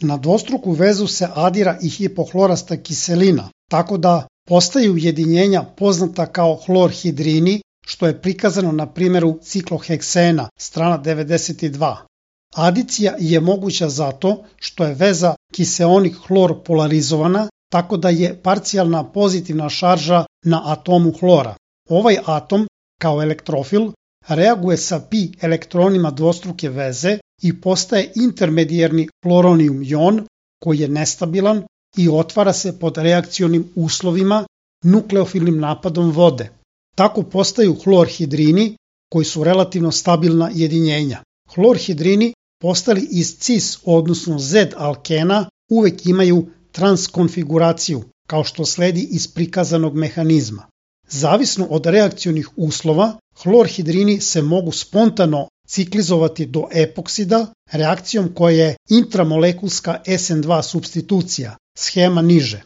Na dvostruku vezu se adira i hipohlorasta kiselina, tako da postaju ujedinjenja poznata kao hlorhidrini, što je prikazano na primjeru cikloheksena, strana 92. Adicija je moguća zato što je veza kiseonik-hlor polarizovana, tako da je parcijalna pozitivna šarža na atomu hlora. Ovaj atom, kao elektrofil, reaguje sa pi elektronima dvostruke veze i postaje intermedijarni hloronijum jon, koji je nestabilan i otvara se pod reakcionim uslovima nukleofilnim napadom vode. Tako postaju hlorhidrini, koji su relativno stabilna jedinjenja. Hlorhidrini postali iz cis, odnosno Z alkena, uvek imaju transkonfiguraciju, kao što sledi iz prikazanog mehanizma. Zavisno od reakcionih uslova, hlorhidrini se mogu spontano ciklizovati do epoksida reakcijom koja je intramolekulska SN2 supstitucija, schema niže.